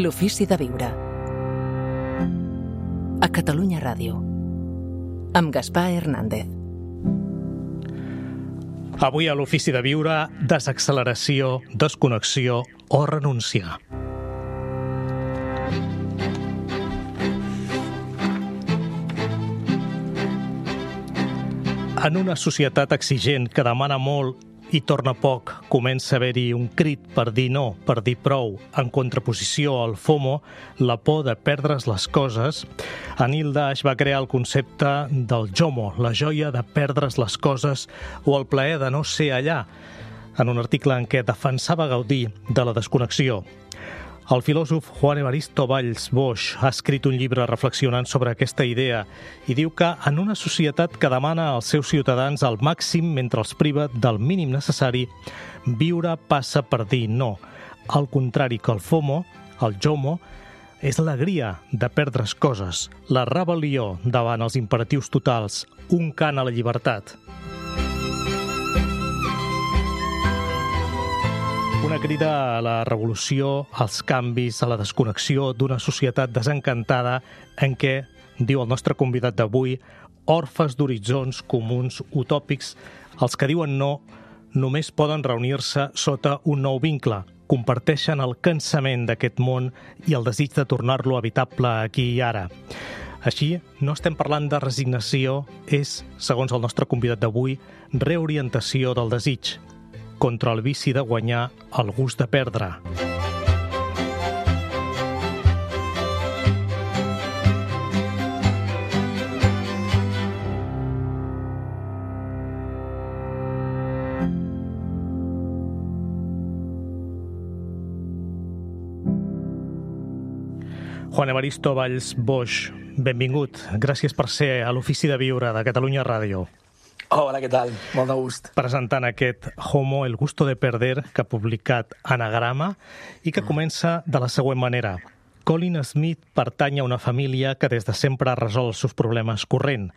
L'ofici de viure. A Catalunya Ràdio. Amb Gaspar Hernández. Avui a l'ofici de viure, desacceleració, desconnexió o renunciar. En una societat exigent que demana molt i torna poc, comença a haver-hi un crit per dir no, per dir prou, en contraposició al FOMO, la por de perdre's les coses. Anil Dash va crear el concepte del JOMO, la joia de perdre's les coses o el plaer de no ser allà, en un article en què defensava gaudir de la desconnexió. El filòsof Juan Evaristo Valls Boix ha escrit un llibre reflexionant sobre aquesta idea i diu que en una societat que demana als seus ciutadans el màxim mentre els priva del mínim necessari, viure passa per dir no. Al contrari que el FOMO, el JOMO, és l'alegria de perdre's coses, la rebel·lió davant els imperatius totals, un cant a la llibertat. Una crida a la revolució, als canvis, a la desconnexió d'una societat desencantada en què, diu el nostre convidat d'avui, orfes d'horitzons comuns utòpics, els que diuen no només poden reunir-se sota un nou vincle, comparteixen el cansament d'aquest món i el desig de tornar-lo habitable aquí i ara. Així, no estem parlant de resignació, és, segons el nostre convidat d'avui, reorientació del desig, contra el vici de guanyar, el gust de perdre. Juan Evaristo Valls Boix, benvingut. Gràcies per ser a l'Ofici de Viure de Catalunya Ràdio. Hola, què tal? Molt de gust. Presentant aquest Homo, el gusto de perder, que ha publicat Anagrama i que comença de la següent manera. Colin Smith pertany a una família que des de sempre ha resolt els seus problemes corrent.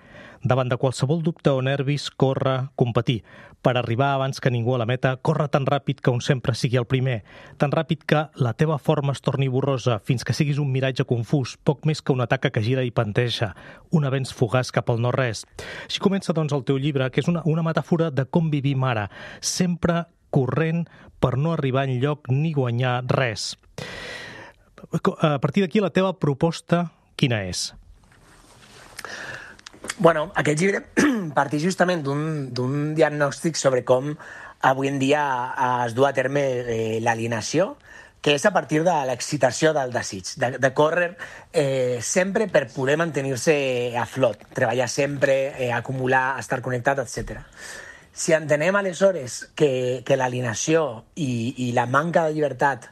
Davant de qualsevol dubte o nervis, corre, competir. Per arribar abans que ningú a la meta, corre tan ràpid que un sempre sigui el primer. Tan ràpid que la teva forma es torni borrosa fins que siguis un miratge confús, poc més que una taca que gira i panteja, un avenç fugaç cap al no-res. Així comença, doncs, el teu llibre, que és una metàfora de com vivim ara, sempre corrent per no arribar enlloc ni guanyar res. A partir d'aquí, la teva proposta, quina és? Bueno, aquest llibre parteix justament d'un diagnòstic sobre com avui en dia es du a terme l'alienació, que és a partir de l'excitació del desig, de córrer sempre per poder mantenir-se a flot, treballar sempre, acumular, estar connectat, etc. Si entenem aleshores que l'alienació i la manca de llibertat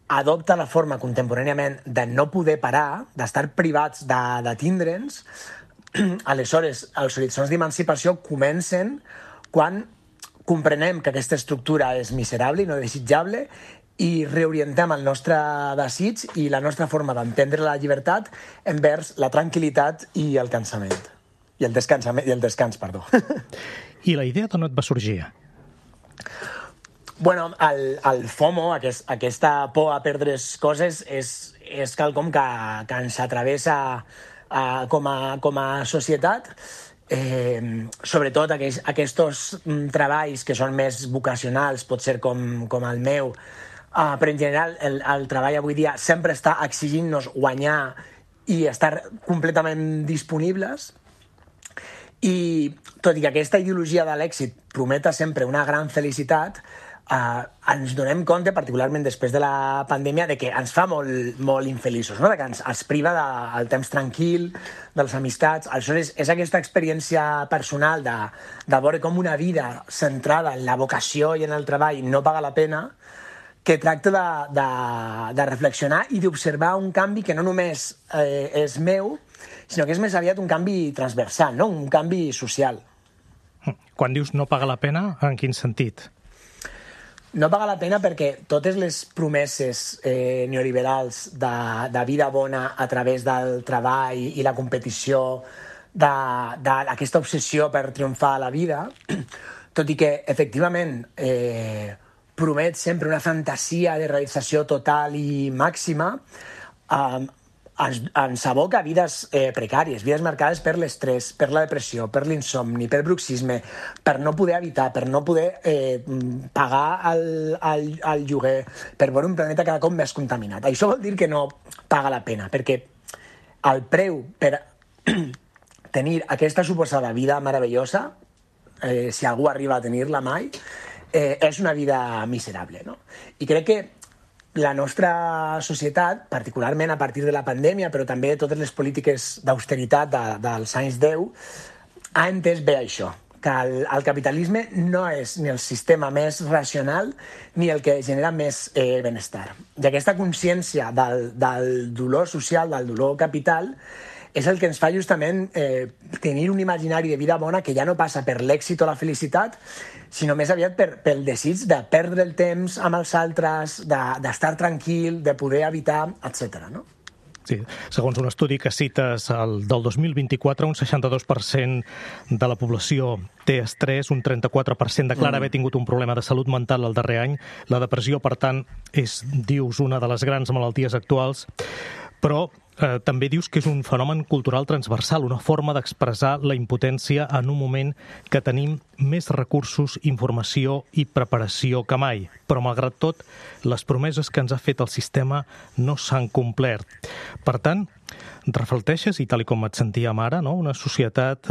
adopta la forma contemporàniament de no poder parar, d'estar privats de tindre'ns, aleshores els horitzons d'emancipació comencen quan comprenem que aquesta estructura és miserable i no desitjable i reorientem el nostre desig i la nostra forma d'entendre la llibertat envers la tranquil·litat i el cansament. I el descans, perdó. I la idea d'on et va sorgir? Bueno, el FOMO, aquesta por a perdre's coses, és quelcom que ens atravessa com a societat, sobretot aquests treballs que són més vocacionals, pot ser com el meu, però en general el treball avui dia sempre està exigint-nos guanyar i estar completament disponibles. I tot i que aquesta ideologia de l'èxit prometa sempre una gran felicitat, ens donem compte, particularment després de la pandèmia, de que ens fa molt infeliços, no? De que ens priva del temps tranquil, de les amistats. Aleshores, és aquesta experiència personal de veure com una vida centrada en la vocació i en el treball no paga la pena, que tracta de reflexionar i d'observar un canvi que no només és meu, sinó que és més aviat un canvi transversal, no? Un canvi social. Quan dius no paga la pena, en quin sentit? No paga la pena perquè totes les promeses neoliberals de vida bona a través del treball i la competició, d'aquesta obsessió per triomfar a la vida, tot i que efectivament promet sempre una fantasia de realització total i màxima, ens aboca a vides precàries, vides marcades per l'estrès, per la depressió, per l'insomni, per bruxisme, per no poder habitar, per no poder pagar el lloguer, per veure un planeta cada cop més contaminat. Això vol dir que no paga la pena, perquè el preu per tenir aquesta suposada vida meravellosa, si algú arriba a tenir-la mai, és una vida miserable, no? I crec que la nostra societat, particularment a partir de la pandèmia, però també totes les polítiques d'austeritat dels anys 10, ha entès bé això, que el capitalisme no és ni el sistema més racional ni el que genera més benestar. I aquesta consciència del dolor social, del dolor capital, és el que ens fa justament tenir un imaginari de vida bona que ja no passa per l'èxit o la felicitat, sinó més aviat pel desig de perdre el temps amb els altres, d'estar tranquil, de poder habitar, etc. No? Sí, segons un estudi que cites del 2024, un 62% de la població té estrès, un 34% declara haver tingut un problema de salut mental el darrer any. La depressió, per tant, és, dius, una de les grans malalties actuals, però també dius que és un fenomen cultural transversal, una forma d'expressar la impotència en un moment que tenim més recursos, informació i preparació que mai. Però, malgrat tot, les promeses que ens ha fet el sistema no s'han complert. Per tant, reflecteixes, i tal com et sentíem ara, no? Una societat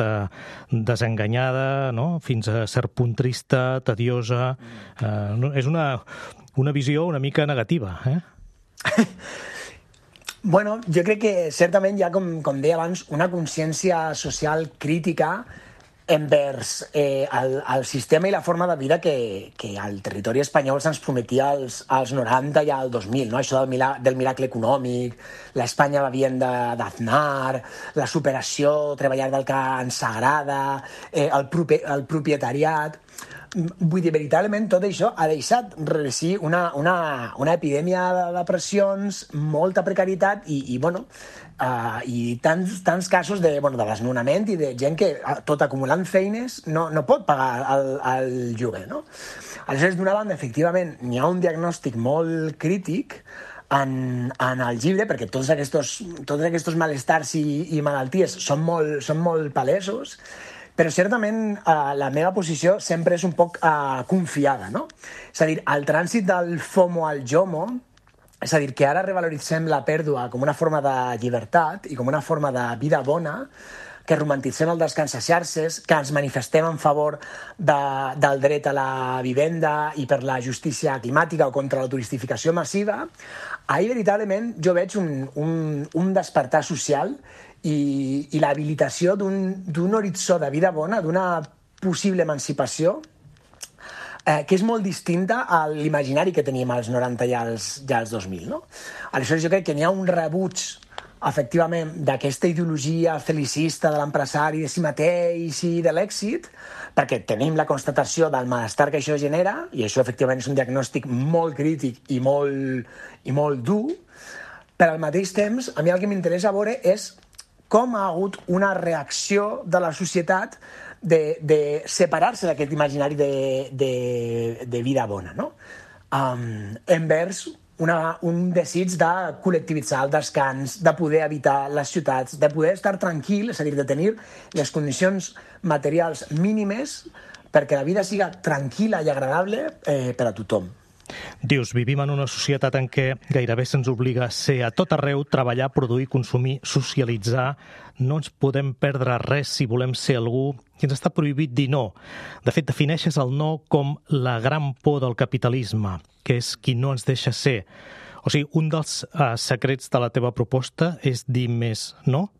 desenganyada, no? Fins a cert punt trista, tediosa. És una visió una mica negativa, Bueno, jo crec que certament hi ha, com deia abans, una consciència social crítica envers el sistema i la forma de vida que el territori espanyol se'ns prometia als 90 i al 2000, no? Això del miracle econòmic, l'Espanya bevient d'Aznar, la superació, treballar del que ens agrada, el propietariat. Vull dir, veritablement, tot això ha deixat reeixir una epidèmia de depressions, molta precarietat i tants casos de desnonament i de gent que, tot acumulant feines, no pot pagar el lloguer, no? Aleshores, d'una banda, efectivament, n'hi ha un diagnòstic molt crític en el llibre, perquè tots aquests malestars i malalties són molt palesos, però certament la meva posició sempre és un poc confiada, no? És a dir, el trànsit del FOMO al JOMO, és a dir, que ara revaloritzem la pèrdua com una forma de llibertat i com una forma de vida bona, que romantitzem el descans a xarxes, que ens manifestem en favor del dret a la vivenda i per la justícia climàtica o contra la turistificació massiva, ahir veritablement jo veig un despertar social i l'habilitació d'un horitzó de vida bona, d'una possible emancipació, que és molt distinta a l'imaginari que teníem als 90 i als 2000. No? Aleshores, jo crec que n'hi ha un rebuig, efectivament, d'aquesta ideologia felicista de l'empresari, de si mateix i de l'èxit, perquè tenim la constatació del malestar que això genera, i això, efectivament, és un diagnòstic molt crític i molt dur, però al mateix temps, a mi el que m'interessa veure és com ha hagut una reacció de la societat de separar-se d'aquest imaginari de vida bona, no? Envers un desig de col·lectivitzar el descans, de poder habitar les ciutats, de poder estar tranquil, és a dir, de tenir les condicions materials mínimes perquè la vida siga tranquil·la i agradable per a tothom. Dius, vivim en una societat en què gairebé se'ns obliga a ser a tot arreu, treballar, produir, consumir, socialitzar. No ens podem perdre res si volem ser algú i ens està prohibit dir no. De fet, defineixes el no com la gran por del capitalisme, que és qui no ens deixa ser. O sigui, un dels secrets de la teva proposta és dir més no?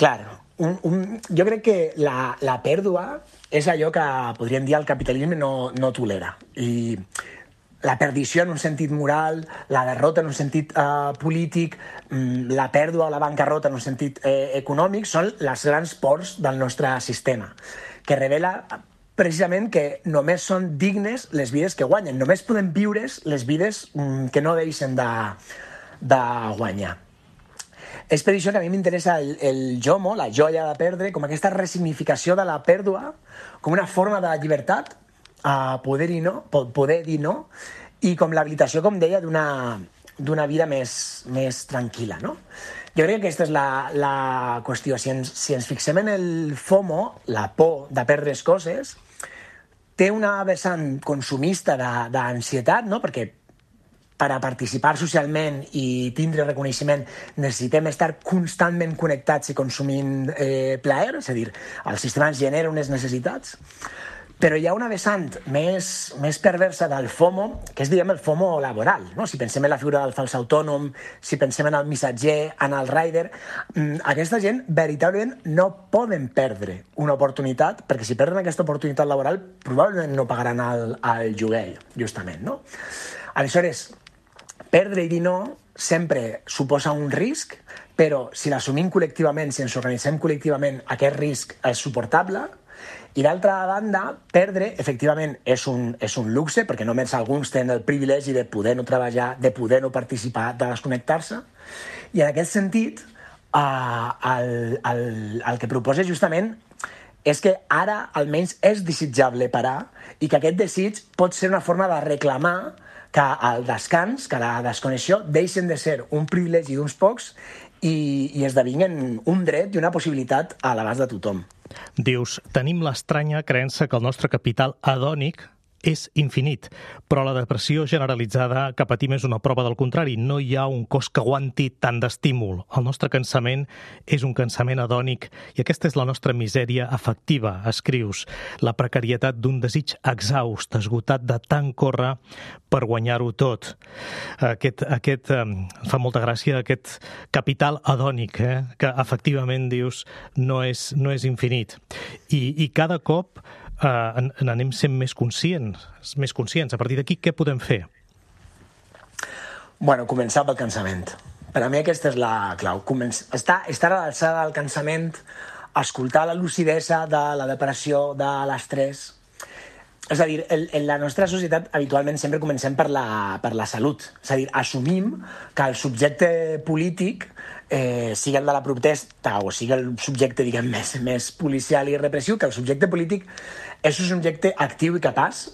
Clar, jo crec que la pèrdua és allò que, podríem dir, el capitalisme no tolera. I la perdició en un sentit moral, la derrota en un sentit polític, la pèrdua o la bancarrota en un sentit econòmic són les grans pors del nostre sistema, que revela precisament que només són dignes les vides que guanyen. Només podem viure les vides que no deixen de guanyar. És per això que a mi m'interessa el JOMO, la joia de perdre, com aquesta resignificació de la pèrdua, com una forma de llibertat a poder dir no, i com l'habilitació, com deia, d'una vida més tranquil·la, no? Jo crec que aquesta és la qüestió. Si ens fixem en el FOMO, la por de perdre coses, té una vessant consumista d'ansietat, no? Perquè per a participar socialment i tindre reconeixement necessitem estar constantment connectats i consumint plaer, és a dir, el sistema ens genera unes necessitats. Però hi ha una vessant més perversa del FOMO, que és, diguem, el FOMO laboral, no? Si pensem en la figura del fals autònom, si pensem en el missatger, en el rider, aquesta gent veritablement no poden perdre una oportunitat, perquè si perden aquesta oportunitat laboral probablement no pagaran el lloguer, justament, no? Aleshores, perdre i dir no sempre suposa un risc, però si l'assumim col·lectivament, si ens organitzem col·lectivament, aquest risc és suportable. I d'altra banda, perdre, efectivament, és un luxe, perquè només alguns tenen el privilegi de poder no treballar, de poder no participar, de desconnectar-se. I en aquest sentit, el que proposa justament és que ara almenys és desitjable parar i que aquest desig pot ser una forma de reclamar que el descans, que la desconnexió, deixen de ser un privilegi d'uns pocs i esdevinguen un dret i una possibilitat a l'abast de tothom. Dius, tenim l'estranya creença que el nostre capital hedònic és infinit, però la depressió generalitzada que patim és una prova del contrari. No hi ha un cos que aguanti tant d'estímul. El nostre cansament és un cansament hedònic i aquesta és la nostra misèria afectiva, escrius. La precarietat d'un desig exhaust, esgotat de tant córrer per guanyar-ho tot. Fa molta gràcia aquest capital hedònic, que efectivament, dius, no és infinit. I cada cop n'anem sent més conscients. A partir d'aquí, què podem fer? Bueno, començar pel cansament. Per a mi aquesta és la clau. Estar a l'alçada del cansament, escoltar la lucidesa de la depressió, de l'estrès. És a dir, en la nostra societat habitualment sempre comencem per la salut. És a dir, assumim que el subjecte polític, sigui el de la protesta o sigui el subjecte, diguem, més policial i repressiu, que el subjecte polític és un subjecte actiu i capaç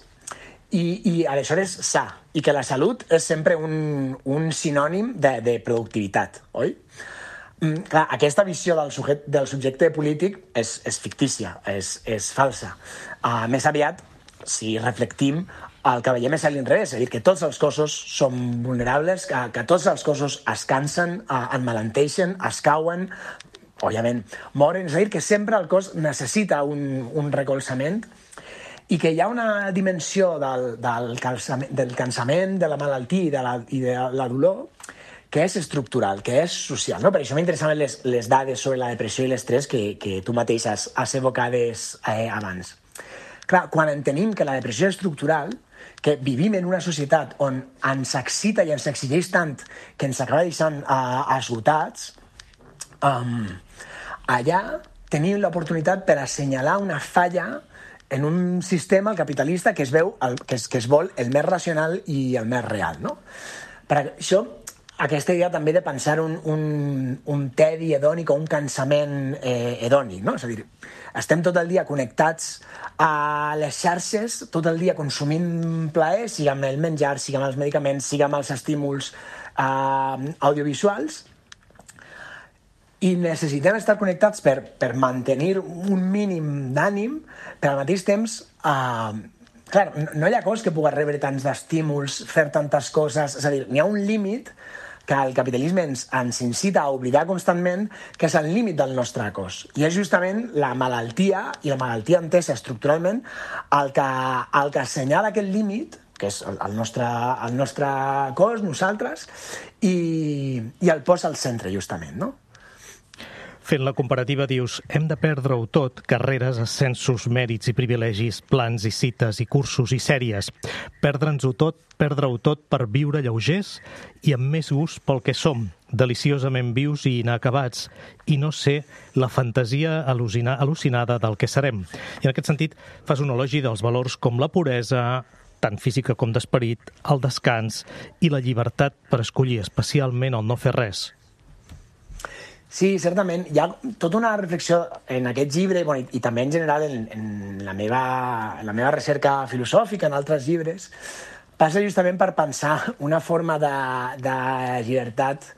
i aleshores sa, i que la salut és sempre un sinònim de productivitat, oi? Clar, aquesta visió del subjecte polític és fictícia, és falsa. Més aviat, si reflectim, el que veiem és a l'inrevés, és a dir, que tots els cossos són vulnerables, que tots els cossos es cansen, emmalenteixen, es cauen, òbviament moren, és a dir, que sempre el cos necessita un recolzament i que hi ha una dimensió del cansament, de la malaltia i de la dolor que és estructural, que és social, no? Per això m'interessaven les dades sobre la depressió i l'estrès que tu mateix has evocades abans. Clar, quan entenem que la depressió és estructural, que vivim en una societat on ens excita i ens exigeix tant que ens acaba deixant esgotats, allà tenim l'oportunitat per assenyalar una falla en un sistema, el capitalista, que es vol el més racional i el més real, no? Per això, aquesta idea també de pensar un tedi hedònic o un cansament hedònic, no? És a dir, estem tot el dia connectats a les xarxes, tot el dia consumint plaer, sigui amb el menjar, sigui amb els medicaments, sigui amb els estímuls audiovisuals, i necessitem estar connectats per mantenir un mínim d'ànim, però al mateix temps, clar, no hi ha cos que pugui rebre tants d'estímuls, fer tantes coses, és a dir, n'hi ha un límit que el capitalisme ens incita a oblidar constantment, que és el límit del nostre cos. I és justament la malaltia, i la malaltia entesa estructuralment, el que assenyala aquest límit, que és el nostre cos, nosaltres, i el posa al centre, justament, no? Fent la comparativa, dius, hem de perdre-ho tot, carreres, ascensos, mèrits i privilegis, plans i cites i cursos i sèries. Perdre-ho tot per viure lleugers i amb més gust pel que som, deliciosament vius i inacabats, i no ser la fantasia al·lucinada del que serem. I en aquest sentit, fas un elogi dels valors com la puresa, tant física com d'esperit, el descans i la llibertat per escollir, especialment el no fer res. Sí, certament. Hi ha tota una reflexió en aquest llibre, bueno, i també en general en la meva recerca filosòfica, en altres llibres, passa justament per pensar una forma de llibertat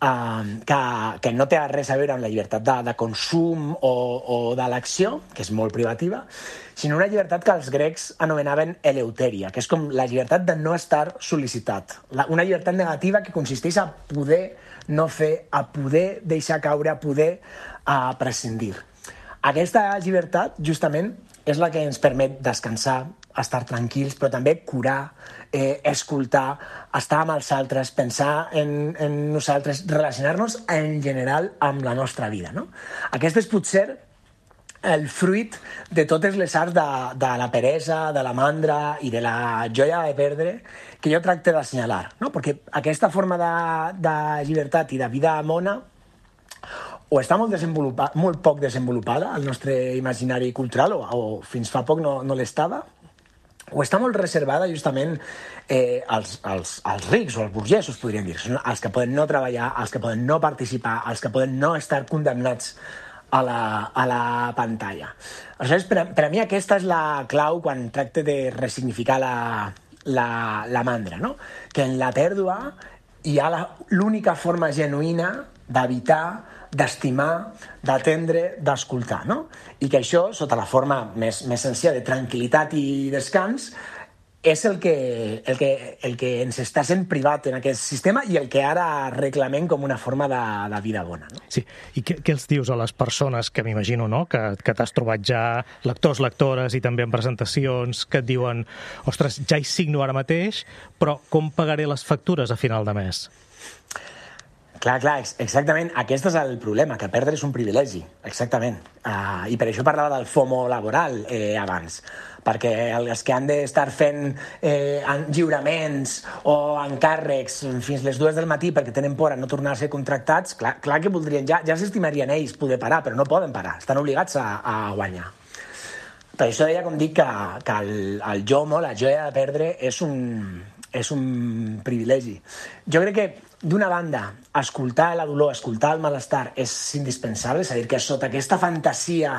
que no té res a veure amb la llibertat de consum o de l'acció, que és molt privativa, sinó una llibertat que els grecs anomenaven eleuteria, que és com la llibertat de no estar sol·licitat. Una llibertat negativa que consisteix a poder no fer, a poder deixar caure, a poder prescindir. Aquesta llibertat, justament, és la que ens permet descansar, estar tranquils, però també curar, escoltar, estar amb els altres, pensar en nosaltres, relacionar-nos en general amb la nostra vida. No? Aquest és potser el fruit de totes les arts de la peresa, de la mandra i de la joia de perdre que jo tracte d'assenyalar, no? Perquè aquesta forma de llibertat i de vida mona o està molt poc desenvolupada al nostre imaginari cultural o fins fa poc no l'estava, o està molt reservada justament als rics o als burgesos, podríem dir. Són els que poden no treballar, els que poden no participar, els que poden no estar condemnats a la pantalla. Aleshores, per a mi aquesta és la clau quan tracte de ressignificar la mandra, no? Que en la pèrdua hi ha l'única forma genuïna d'evitar, d'estimar, d'atendre, d'escoltar, no? I que això, sota la forma més senzilla de tranquil·litat i descans, és el que ens està sent privat en aquest sistema i el que ara reclamem com una forma de vida bona. No? Sí, i què els dius a les persones que m'imagino, no?, que t'has trobat ja lectors, lectores i també en presentacions que et diuen ostres, ja hi signo ara mateix, però com pagaré les factures a final de mes? Clar, exactament. Aquest és el problema, que perdre és un privilegi, exactament. I per això parlava del FOMO laboral abans, perquè els que han d'estar fent lliuraments o encàrrecs fins les 2 del matí perquè tenen por a no tornar a ser contractats, clar que voldrien, ja s'estimarien ells poder parar, però no poden parar, estan obligats a guanyar. Per això deia, com dic, que el JOMO, la joia de perdre, és un privilegi. Jo crec que, d'una banda, escoltar la dolor, escoltar el malestar és indispensable, és a dir, que sota aquesta fantasia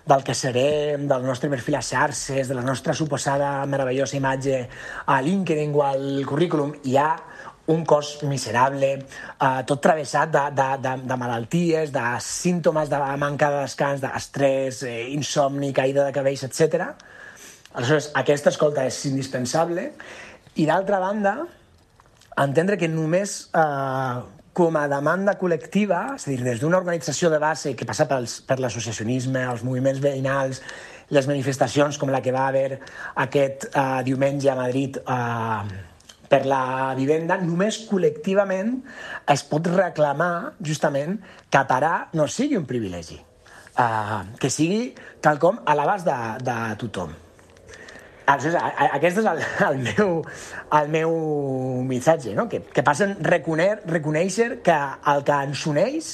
del que serem, del nostre perfil a xarxes, de la nostra suposada meravellosa imatge a LinkedIn o al currículum, hi ha un cos miserable, tot travessat de malalties, de símptomes de manca de descans, d'estrès, insomni, caïda de cabells, etc. Aleshores, aquesta escolta és indispensable. I d'altra banda, entendre que només com a demanda col·lectiva, és a dir, des d'una organització de base que passa per l'associacionisme, els moviments veïnals, les manifestacions com la que va haver aquest diumenge a Madrid per la vivenda, només col·lectivament es pot reclamar justament que parar no sigui un privilegi, que sigui quelcom a l'abast de tothom. Aquest és el meu missatge, no? Que passen reconèixer que el que ens uneix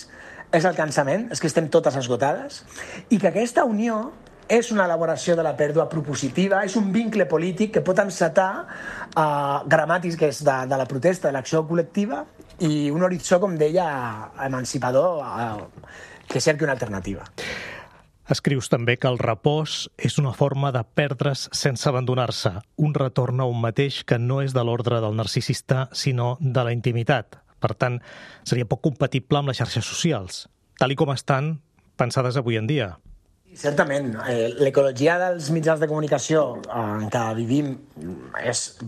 és el cansament, és que estem totes esgotades, i que aquesta unió és una elaboració de la pèrdua propositiva, és un vincle polític que pot encetar gramàtiques de la protesta, de l'acció col·lectiva, i un horitzó, com deia, emancipador, que cerqui una alternativa. Escrius també que el repòs és una forma de perdre's sense abandonar-se, un retorn a un mateix que no és de l'ordre del narcisista, sinó de la intimitat. Per tant, seria poc compatible amb les xarxes socials, tal i com estan pensades avui en dia. Certament. L'ecologia dels mitjans de comunicació en què vivim es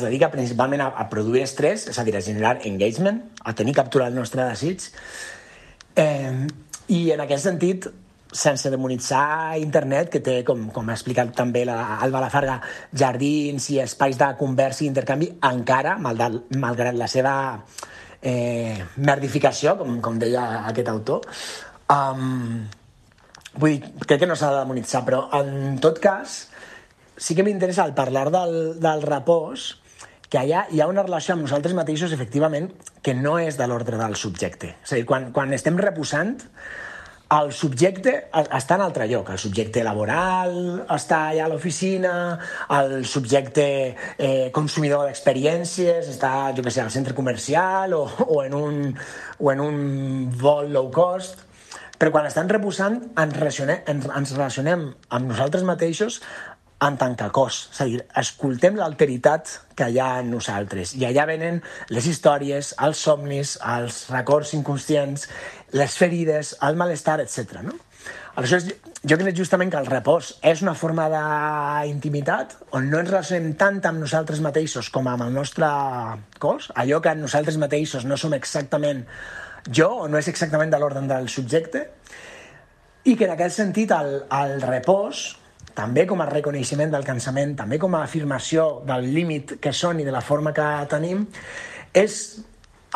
dedica principalment a produir estrès, és a dir, a generar engagement, a tenir captura del nostre desig. I en aquest sentit, sense demonitzar internet, que té, com ha explicat també l'Alba Lafarga, jardins i espais de conversa i intercanvi, encara, malgrat la seva merdificació, com deia aquest autor, vull dir, crec que no s'ha de demonitzar, però en tot cas sí que m'interessa al parlar del repòs que allà hi ha una relació amb nosaltres mateixos, efectivament, que no és de l'ordre del subjecte. És a dir, quan estem reposant, el subjecte està en altre lloc. El subjecte laboral està allà a l'oficina, el subjecte consumidor d'experiències està, jo què sé, al centre comercial o en un vol low cost. Però quan estan reposant ens relacionem amb nosaltres mateixos en tant que cos. És a dir, escoltem l'alteritat que hi ha en nosaltres. I allà venen les històries, els somnis, els records inconscients, les ferides, el malestar, etc. No? Aleshores, jo crec justament que el repòs és una forma d'intimitat on no ens relacionem tant amb nosaltres mateixos com amb el nostre cos, allò que nosaltres mateixos no som exactament jo o no és exactament de l'ordre del subjecte, i que en aquest sentit el repòs, també com a reconeixement del cansament, també com a afirmació del límit que són i de la forma que tenim, és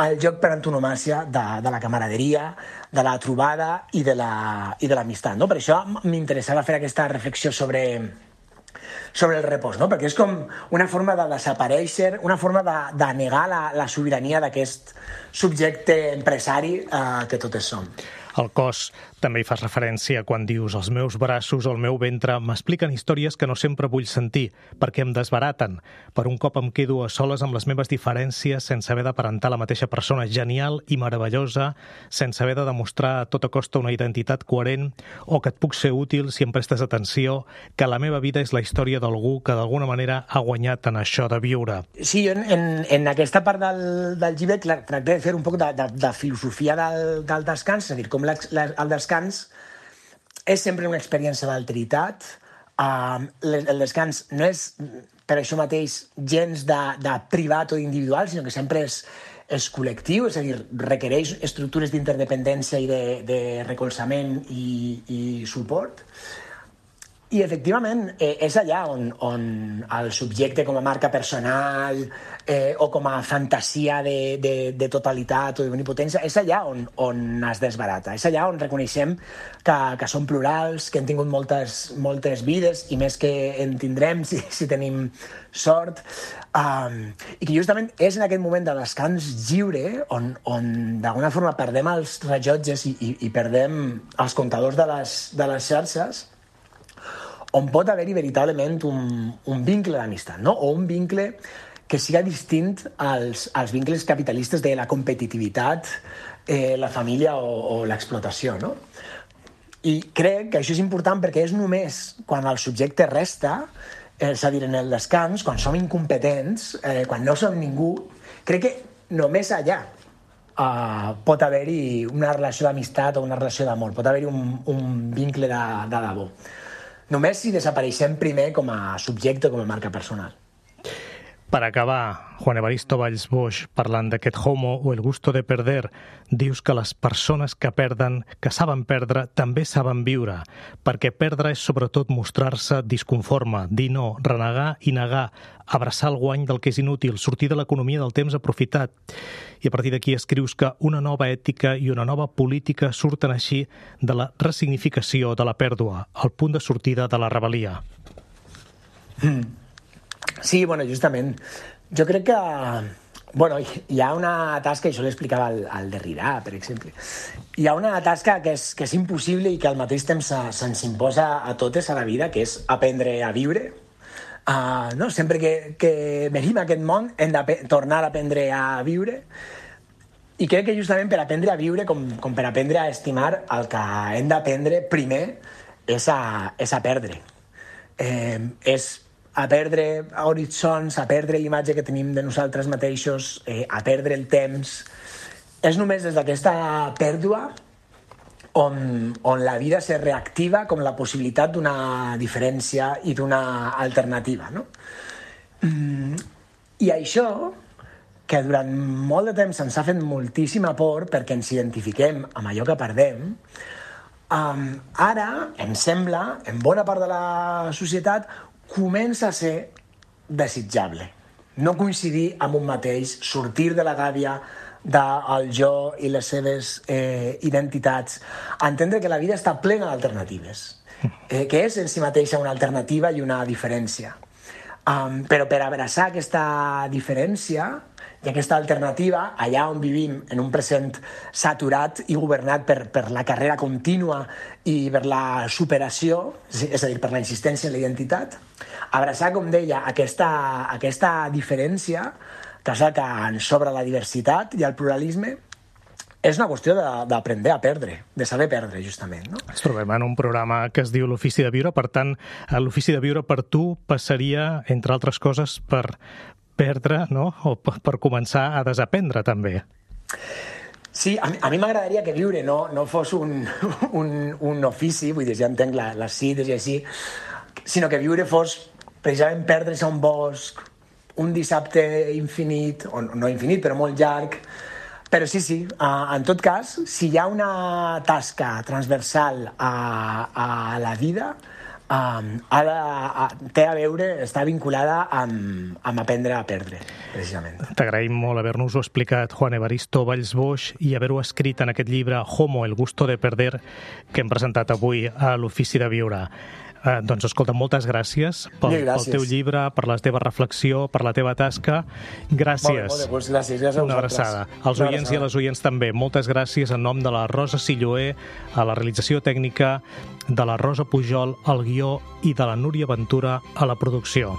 el joc per antonomàsia de la camaraderia, de la trobada i de l'amistat. No? Per això m'interessava fer aquesta reflexió sobre el repòs, no? Perquè és com una forma de desaparèixer, una forma de negar la sobirania d'aquest subjecte empresari que totes som. Al cos també hi fas referència quan dius els meus braços o el meu ventre m'expliquen històries que no sempre vull sentir, perquè em desbaraten. Per un cop em quedo a soles amb les meves diferències sense haver d'aparentar la mateixa persona genial i meravellosa, sense haver de demostrar a tota costa una identitat coherent o que et puc ser útil si em prestes atenció, que la meva vida és la història d'algú que d'alguna manera ha guanyat en això de viure. Sí, jo en aquesta part del llibre tracté de fer un poc de filosofia del descans, és a dir, com el descans és sempre una experiència d'alteritat. El descans no és per això mateix gens de privat o individual, sinó que sempre és col·lectiu, és a dir, requereix estructures d'interdependència i de recolzament i suport. I, efectivament, és allà on el subjecte com a marca personal o com a fantasia de totalitat o d'omnipotència, és allà on es desbarata. És allà on reconeixem que som plurals, que hem tingut moltes vides i més que en tindrem si tenim sort. I que justament és en aquest moment de descans lliure on d'alguna forma perdem els rellotges i perdem els comptadors de les xarxes, on pot haver-hi veritablement un vincle d'amistat, no? O un vincle que siga distint als vincles capitalistes de la competitivitat, la família o l'explotació, no? I crec que això és important perquè és només quan el subjecte resta, és a dir, en el descans, quan som incompetents, quan no som ningú, crec que només allà pot haver-hi una relació d'amistat o una relació d'amor, pot haver-hi un vincle de debò. Només si desapareixem primer com a subjecte, com a marca personal. Per acabar, Juan Evaristo Valls Boix, parlant d'aquest homo o el gusto de perder, dius que les persones que perden, que saben perdre, també saben viure, perquè perdre és sobretot mostrar-se disconforme, dir no, renegar i negar, abraçar el guany del que és inútil, sortir de l'economia del temps aprofitat. I a partir d'aquí escrius que una nova ètica i una nova política surten així de la ressignificació de la pèrdua, el punt de sortida de la rebel·lia. Sí, bueno, justament. Jo crec que hi ha una tasca, i això l'explicava al Derrida, per exemple. Hi ha una tasca que és impossible i que al mateix temps se'ns imposa a totes a la vida, que és aprendre a viure. No? Sempre que venim a aquest món hem de tornar a aprendre a viure. I crec que justament per aprendre a viure, com per aprendre a estimar, el que hem d'aprendre primer és a perdre. És a perdre horitzons, a perdre l'imatge que tenim de nosaltres mateixos, a perdre el temps. És només des d'aquesta pèrdua on la vida se reactiva com la possibilitat d'una diferència i d'una alternativa. No? I això, que durant molt de temps ens ha fet moltíssima por perquè ens identifiquem amb allò que perdem, ara, em sembla, en bona part de la societat, comença a ser desitjable. No coincidir amb un mateix, sortir de la gàbia del jo i les seves identitats, entendre que la vida està plena d'alternatives, que és en si mateixa una alternativa i una diferència. Però per abraçar aquesta diferència I aquesta alternativa, allà on vivim, en un present saturat i governat per la carrera contínua i per la superació, és a dir, per la insistència en la identitat, abraçar, com deia, aquesta diferència, que és la que ens sobra la diversitat i el pluralisme, és una qüestió d'aprendre a perdre, de saber perdre, justament. No? Ens trobem en un programa que es diu L'Ofici de Viure, per tant, l'Ofici de Viure per tu passaria, entre altres coses, per perdre, no? O per començar a desaprendre, també. Sí, a mi m'agradaria que viure no fos un ofici, vull dir, ja entenc les cites i així, sinó que viure fos precisament perdre's a un bosc, un dissabte infinit, o no infinit, però molt llarg. Però sí, en tot cas, si hi ha una tasca transversal a la vida, té a veure, està vinculada amb aprendre a perdre, precisament. T'agraïm molt haver-nos-ho explicat, Juan Evaristo Vallsboix, i haver-ho escrit en aquest llibre Homo, el gusto de perder, que hem presentat avui a l'Ofici de Viure. Doncs, escolta, moltes gràcies pel teu llibre, per la teva reflexió, per la teva tasca. Gràcies. Molt bé, gràcies a vosaltres. Una abraçada. Als oients i a les oients també. Moltes gràcies en nom de la Rosa Silloé, a la realització tècnica, de la Rosa Pujol, al guió, i de la Núria Ventura a la producció.